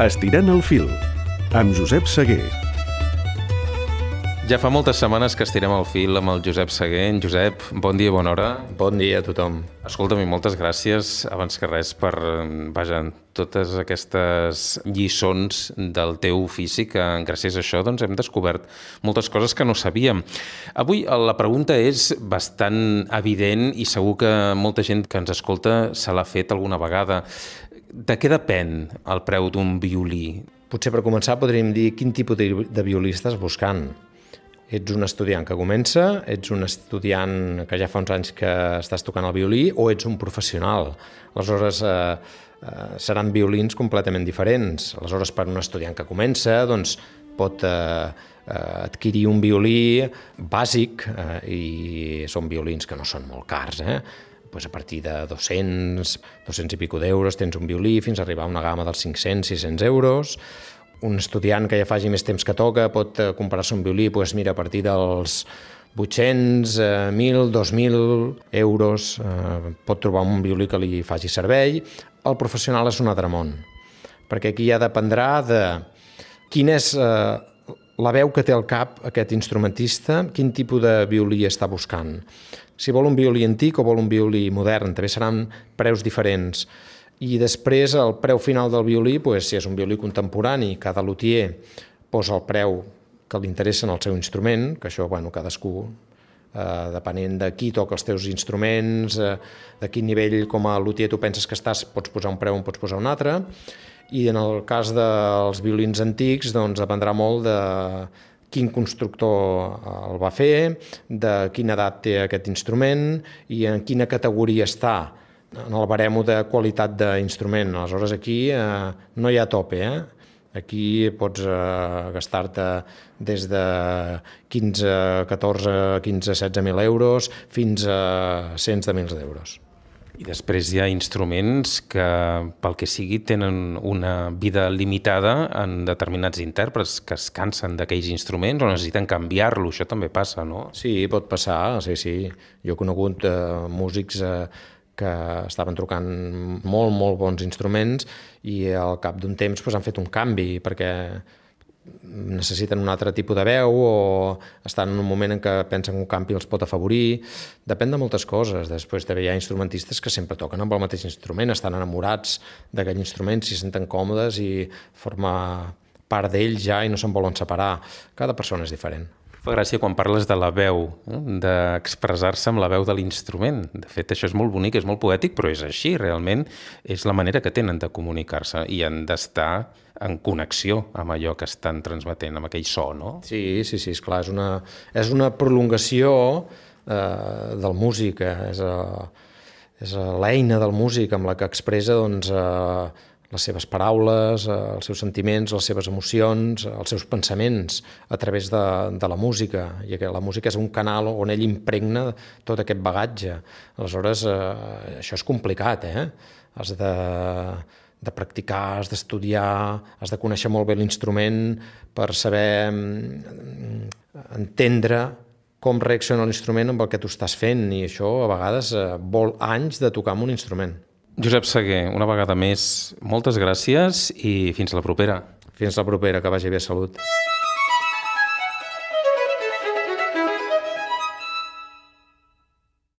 Estirant el fil, amb Josep Seguer. Ja fa moltes setmanes que estirem el fil amb el Josep Seguer. Josep, bon dia, bona hora. Bon dia a tothom. Escolta'm, i moltes gràcies, abans que res, per totes aquestes lliçons del teu ofici, que gràcies a això doncs, hem descobert moltes coses que no sabíem. Avui la pregunta és bastant evident i segur que molta gent que ens escolta se l'ha fet alguna vegada. De què depèn el preu d'un violí? Potser per començar podríem dir quin tipus de violí estàs buscant. Ets un estudiant que comença, ets un estudiant que ja fa uns anys que estàs tocant el violí o ets un professional. Aleshores, seran violins completament diferents. Aleshores, per un estudiant que comença, doncs, pot adquirir un violí bàsic i són violins que no són molt cars, Pues a partir de 200 i pico d'euros tens un violí fins a arribar a una gamma dels 500-600 euros. Un estudiant que ja faci més temps que toca pot comprar-se un violí, a partir dels 800, 1.000, 2.000 euros. Pot trobar un violí que li faci servei. El professional és un altre món, perquè aquí ja dependrà de quina és la veu que té al cap aquest instrumentista, quin tipus de violí està buscant. Si vol un violí antic o vol un violí modern, també seran preus diferents. I després el preu final del violí, si és un violí contemporani, cada luthier posa el preu que li interessa en el seu instrument, que això, cadascú, depenent de qui toca els teus instruments, de quin nivell com a luthier tu penses que estàs, pots posar un preu o pots posar un altre. I en el cas dels violins antics, doncs dependrà molt de quin constructor el va fer, de quina edat té aquest instrument i en quina categoria està en el baremo de qualitat d'instrument. Aleshores, aquí no hi ha tope, Aquí pots gastar-te des de 16.000 euros fins a cents de mils d'euros. I després hi ha instruments que, pel que sigui, tenen una vida limitada en determinats intèrprets que es cansen d'aquells instruments o necessiten canviar-lo. Això també passa, no? Sí, pot passar, sí. Jo he conegut músics que estaven trucant molt bons instruments i al cap d'un temps han fet un canvi perquè necessiten un altre tipus de veu o estan en un moment en què pensen que un canvi els pot afavorir. Depèn de moltes coses. Després també hi ha instrumentistes que sempre toquen amb el mateix instrument, estan enamorats d'aquell instrument, s'hi senten còmodes i forma part d'ells ja i no se'n volen separar. Cada persona és diferent. Fa gràcia quan parles de la veu, d'expressar-se amb la veu de l'instrument. De fet, això és molt bonic, és molt poètic, però és així, realment. És la manera que tenen de comunicar-se i han d'estar en connexió amb allò que estan transmetent, amb aquell so, no? Sí, esclar, és una prolongació del músic, és l'eina del músic amb la que expressa les seves paraules, els seus sentiments, les seves emocions, els seus pensaments a través de la música. I la música és un canal on ell impregna tot aquest bagatge. Aleshores, això és complicat, Has de practicar, has d'estudiar, has de conèixer molt bé l'instrument per saber entendre com reacciona l'instrument amb el que tu estàs fent, i això a vegades vol anys de tocar amb un instrument. Josep Seguer, una vegada més, moltes gràcies i fins la propera. Fins la propera, que vagi bé, salut.